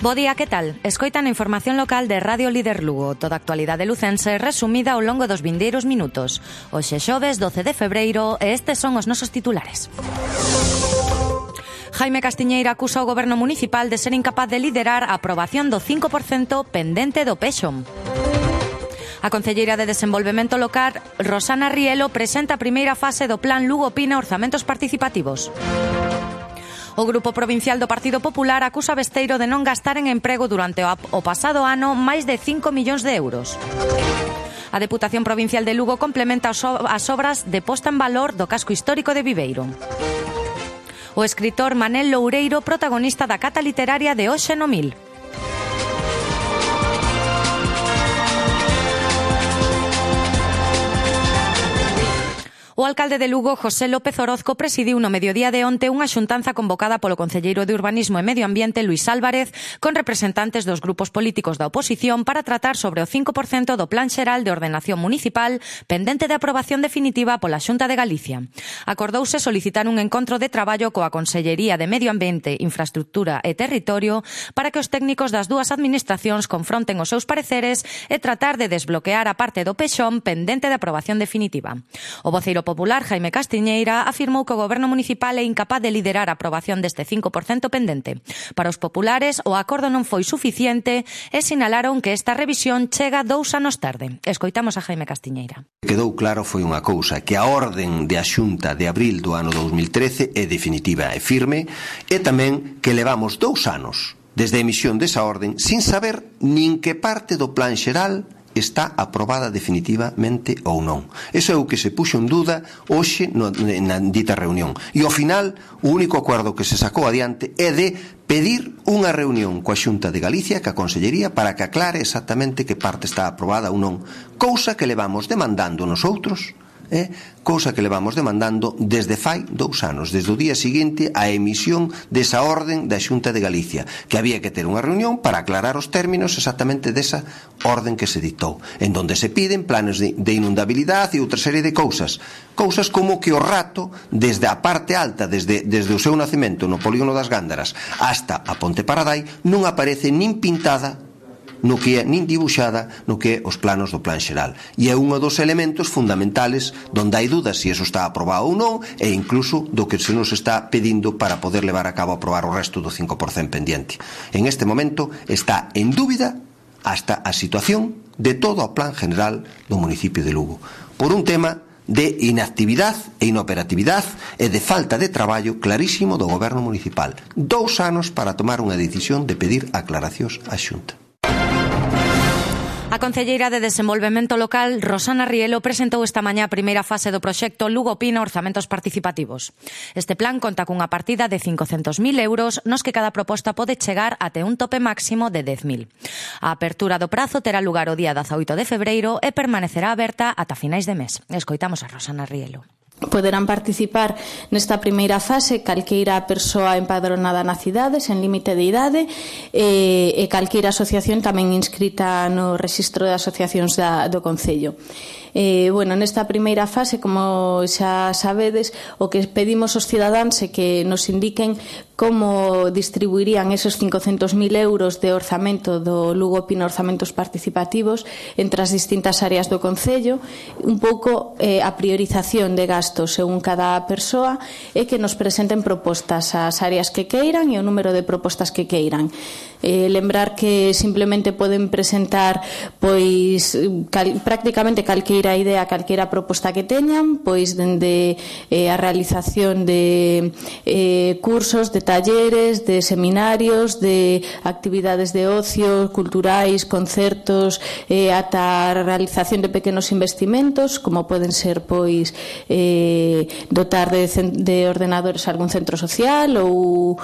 Bo día, que tal? Escoitan a información local de Radio Líder Lugo, toda a actualidade lucense resumida ao longo dos vindeiros minutos. Hoxe xoves 12 de febreiro e estes son os nosos titulares. Jaime Castiñeira acusa o goberno municipal de ser incapaz de liderar a aprobación do 5% pendente do PEXOM. A concelleira de Desenvolvemento Local, Rosana Rielo, presenta a primeira fase do Plan Lugo Pina Orzamentos Participativos. O Grupo Provincial do Partido Popular acusa Besteiro de non gastar en emprego durante o pasado ano máis de 5 millóns de euros. A Deputación Provincial de Lugo complementa as obras de posta en valor do casco histórico de Viveiro. O escritor Manel Loureiro, protagonista da cata literaria de hoxe no Mil. O alcalde de Lugo, José López Orozco, presidiu no mediodía de onte unha xuntanza convocada polo concelleiro de Urbanismo e Medio Ambiente, Luís Álvarez, con representantes dos grupos políticos da oposición para tratar sobre o 5% do Plan Xeral de Ordenación Municipal pendente de aprobación definitiva pola Xunta de Galicia. Acordouse solicitar un encontro de traballo coa Consellería de Medio Ambiente, Infraestructura e Territorio para que os técnicos das dúas administracións confronten os seus pareceres e tratar de desbloquear a parte do PEXOM pendente de aprobación definitiva. O voceiro popular, Jaime Castiñeira, afirmou que o goberno municipal é incapaz de liderar a aprobación deste 5% pendente. Para os populares, o acordo non foi suficiente e sinalaron que esta revisión chega 2 anos tarde. Escoitamos a Jaime Castiñeira. Quedou claro foi unha cousa, que a orden de a Xunta de abril do ano 2013 é definitiva e firme, e tamén que levamos 2 anos desde a emisión desa orden sin saber nin que parte do plan xeral está aprobada definitivamente ou non. Eso é o que se puxo en duda hoxe na dita reunión. E ao final, o único acordo que se sacou adiante é de pedir unha reunión coa Xunta de Galicia, coa Consellería, para que aclare exactamente que parte está aprobada ou non. Cousa que levamos demandando nosotros, cousa que levamos demandando desde fai 2 anos, desde o día seguinte á emisión desa orden da Xunta de Galicia, que había que ter unha reunión para aclarar os términos exactamente desa orden que se dictou, en donde se piden planes de inundabilidade e outra serie de cousas como que o rato, desde a parte alta, desde o seu nacemento no polígono das Gándaras hasta a Ponte Paradai, non aparece nin pintada no que é, nin dibuixada no que é os planos do plan xeral, e é un dos elementos fundamentales donde hai dudas se iso está aprobado ou non, e incluso do que se nos está pedindo para poder levar a cabo aprobar o resto do 5% pendiente. En este momento está en dúbida hasta a situación de todo o plan general do municipio de Lugo, por un tema de inactividade e inoperatividade e de falta de traballo clarísimo do goberno municipal. 2 anos para tomar unha decisión de pedir aclaracións á Xunta. A concelleira de Desenvolvemento Local, Rosana Rielo, presentou esta mañá a primeira fase do proxecto Lugo Pina Orzamentos Participativos. Este plan conta cunha partida de 500.000 euros, nos que cada proposta pode chegar até un tope máximo de 10.000. A apertura do prazo terá lugar o día 18 de febreiro e permanecerá aberta ata finais de mes. Escoitamos a Rosana Rielo. Poderán participar nesta primeira fase calqueira persoa empadronada na cidade sen límite de idade e calqueira asociación tamén inscrita no rexistro de asociacións do Concello. Nesta primeira fase, como xa sabedes, o que pedimos aos cidadáns é que nos indiquen como distribuirían esos 500.000 euros de orzamento do Lugo Pina Orzamentos Participativos entre as distintas áreas do Concello, un pouco a priorización de gastos según cada persoa, e que nos presenten propostas ás áreas que queiran e o número de propostas que queiran. Lembrar que simplemente poden presentar prácticamente calqueira idea, calqueira proposta que teñan, dende a realización de cursos, de talleres, de seminarios, de actividades de ocio, culturais, concertos, ata a realización de pequenos investimentos, como poden ser dotar de ordenadores a algún centro social ou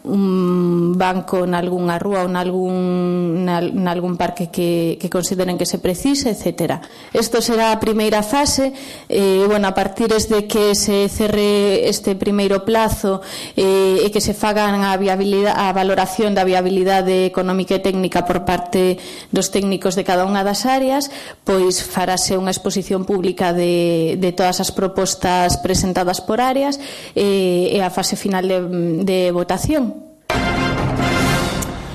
un banco nalgunha rúa ou nalgún parque que consideren que se precise, etc. Isto será a primeira fase. A partir de que se cerre este primeiro plazo e que se fagan a valoración da viabilidade económica e técnica por parte dos técnicos de cada unha das áreas, farase unha exposición pública de todas as propostas presentadas por áreas e a fase final de votación.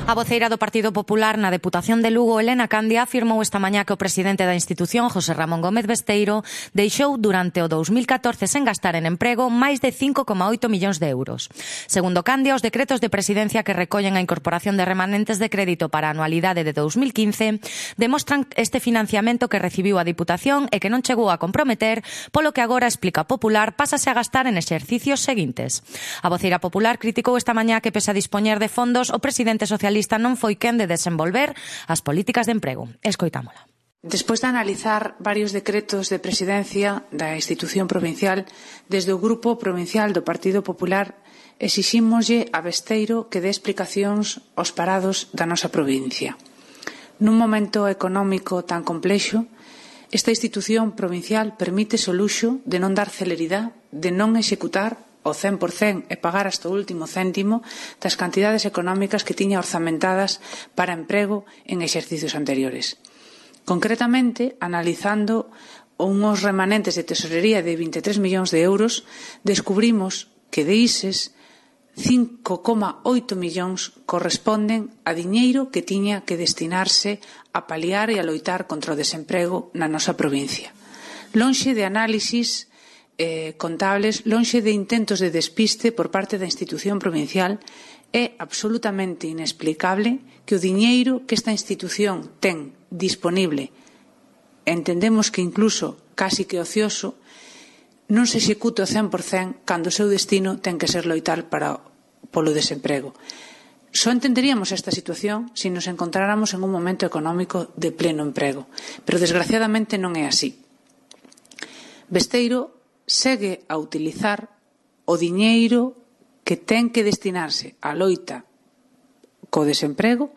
A voceira do Partido Popular na Deputación de Lugo, Elena Candia, afirmou esta mañá que o presidente da institución, José Ramón Gómez Besteiro, deixou durante o 2014 sen gastar en emprego máis de 5,8 millóns de euros. Segundo Candia, os decretos de presidencia que recollen a incorporación de remanentes de crédito para a anualidade de 2015 demostran este financiamento que recibiu a Diputación e que non chegou a comprometer, polo que agora, explica Popular, pásase a gastar en exercicios seguintes. A voceira popular criticou esta mañá que, pese a dispoñer de fondos, o presidente socialista non foi quen de desenvolver as políticas de emprego. Escoitámola. Despois de analizar varios decretos de presidencia da institución provincial, desde o Grupo Provincial do Partido Popular exixímoslle a Besteiro que dé explicacións aos parados da nosa provincia. Nun momento económico tan complexo, esta institución provincial permítese o luxo de non dar celeridade, de non executar o 100% e pagar hasta o último céntimo das cantidades económicas que tiña orzamentadas para emprego en exercicios anteriores. Concretamente, analizando unhos remanentes de tesorería de 23 millóns de euros, descubrimos que de ises 5,8 millóns corresponden a diñeiro que tiña que destinarse a paliar e a loitar contra o desemprego na nosa provincia. Lonxe de análisis contables, lonxe de intentos de despiste por parte da institución provincial, é absolutamente inexplicable que o diñeiro que esta institución ten disponible, entendemos que incluso casi que ocioso, non se execute o 100% cando o seu destino ten que ser loitar polo desemprego. Só entenderíamos esta situación se nos encontráramos en un momento económico de pleno emprego, pero desgraciadamente non é así. Besteiro segue a utilizar o diñeiro que ten que destinarse á loita co desemprego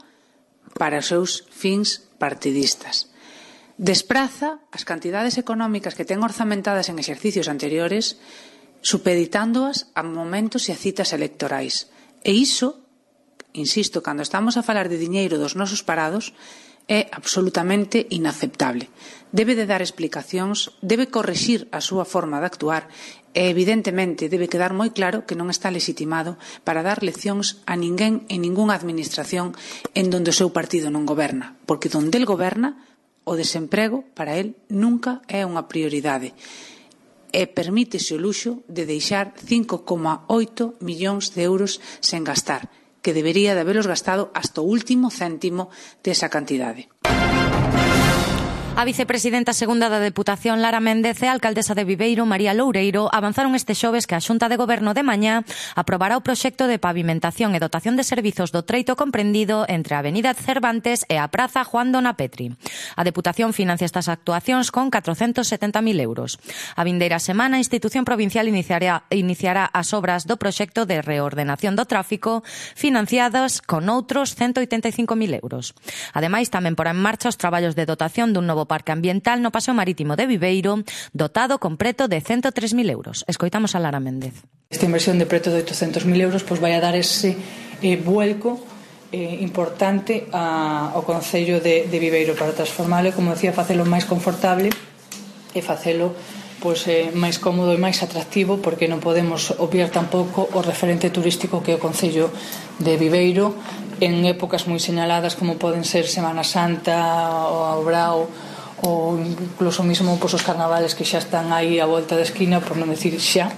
para os seus fins partidistas. Despraza as cantidades económicas que ten orzamentadas en exercicios anteriores, supeditándoas a momentos e a citas electorais. E iso, insisto, cando estamos a falar de diñeiro dos nosos parados, é absolutamente inaceptable. Debe de dar explicacións, debe corrixir a súa forma de actuar e, evidentemente, debe quedar moi claro que non está legitimado para dar leccións a ninguén en ningunha administración en donde o seu partido non goberna, porque donde el goberna, o desemprego para el nunca é unha prioridade e permítese o luxo de deixar 5,8 millóns de euros sen gastar, que debería de habelos gastado hasta o último céntimo desa cantidade. A vicepresidenta segunda da Deputación, Lara Méndez, e a alcaldesa de Viveiro, María Loureiro, avanzaron este xoves que a Xunta de Goberno de mañá aprobará o proxecto de pavimentación e dotación de servizos do treito comprendido entre a Avenida Cervantes e a Praza Juan Dona Petri. A Deputación financia estas actuacións con 470.000 euros. A vindeira semana, a institución provincial iniciará as obras do proxecto de reordenación do tráfico financiadas con outros 185.000 euros. Ademais, tamén porá en marcha os traballos de dotación dun novo parque ambiental no Paseo Marítimo de Viveiro, dotado con preto de 103.000 euros. Escoitamos a Lara Méndez. Esta inversión de preto de 800.000 euros vai a dar ese vuelco importante ao Concello de Viveiro para transformarlo, como decía, facelo máis confortable e facelo máis cómodo e máis atractivo, porque non podemos obviar tampouco o referente turístico que é o Concello de Viveiro en épocas moi señaladas como poden ser Semana Santa ou a Obrao ou incluso mismo os carnavales que xa están aí á volta da esquina, por non decir xa.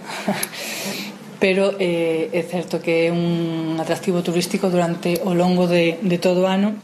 Pero é certo que é un atractivo turístico durante o longo de todo o ano.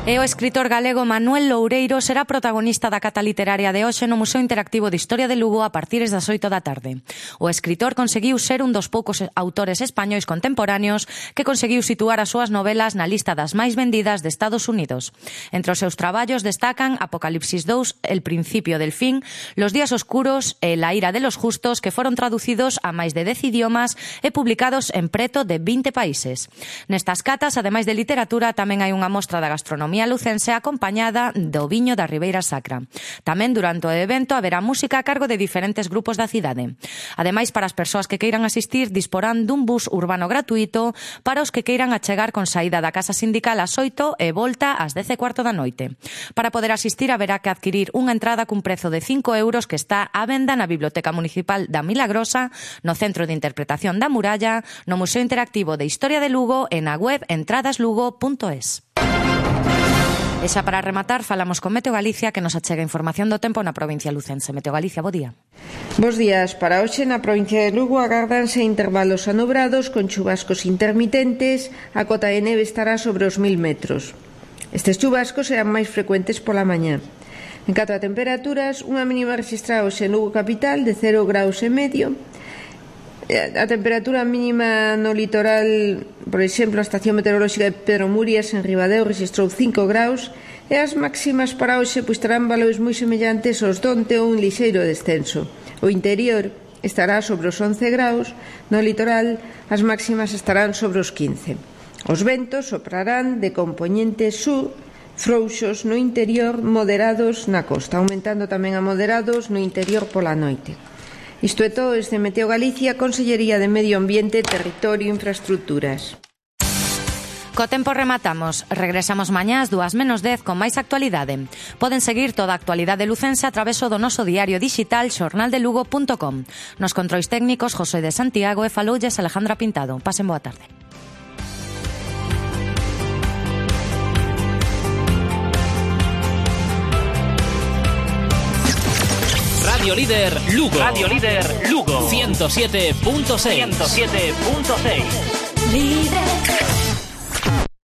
E o escritor galego Manuel Loureiro será protagonista da cata literaria de hoxe no Museo Interactivo de Historia de Lugo a partir das 8 da tarde. O escritor conseguiu ser un dos poucos autores españois contemporáneos que conseguiu situar as súas novelas na lista das máis vendidas de Estados Unidos. Entre os seus traballos destacan Apocalipsis 2, El principio del fin, Los días oscuros e La ira de los justos, que foron traducidos a máis de 10 idiomas e publicados en preto de 20 países. Nestas catas, ademais de literatura, tamén hai unha mostra da gastronomía gastronomía lucense acompañada do viño da Ribeira Sacra. Tamén durante o evento haberá música a cargo de diferentes grupos da cidade. Ademais, para as persoas que queiran asistir, disporán dun bus urbano gratuito para os que queiran achegar con saída da Casa Sindical ás 8 e volta ás 10:15 da noite. Para poder asistir haberá que adquirir unha entrada cun prezo de 5 euros que está á venda na Biblioteca Municipal da Milagrosa, no Centro de Interpretación da Muralla, no Museo Interactivo de Historia de Lugo e na web entradaslugo.es. E xa para rematar, falamos con Meteo Galicia, que nos achega información do tempo na provincia lucense. Meteo Galicia, bo día. Bos días. Para hoxe na provincia de Lugo agárdanse intervalos anubrados con chubascos intermitentes. A cota de neve estará sobre os 1000 metros. Estes chubascos serán máis frecuentes pola mañá. En canto a temperaturas, unha mínima registrada hoxe en Lugo capital de 0,5 graus. A temperatura mínima no litoral, por exemplo, a estación meteorolóxica de Pedro Murias en Ribadeo registrou 5 graus e as máximas para hoxe terán valores moi semellantes aos donte ou un lixeiro descenso. O interior estará sobre os 11 graus, no litoral as máximas estarán sobre os 15. Os ventos soprarán de compoñente sur, frouxos no interior, moderados na costa, aumentando tamén a moderados no interior pola noite. Isto é todo desde Meteo Galicia, Consellería de Medio Ambiente, Territorio e Infraestructuras. Co tempo rematamos. Regresamos mañá ás 2:10 con máis actualidade. Poden seguir toda a actualidade lucense a través do noso diario digital xornaldelugo.com. Nos controis técnicos José de Santiago e faloulles Alejandra Pintado. Pasen boa tarde. Radio Líder Lugo. Radio Líder Lugo. 107.6. 107.6. Líder.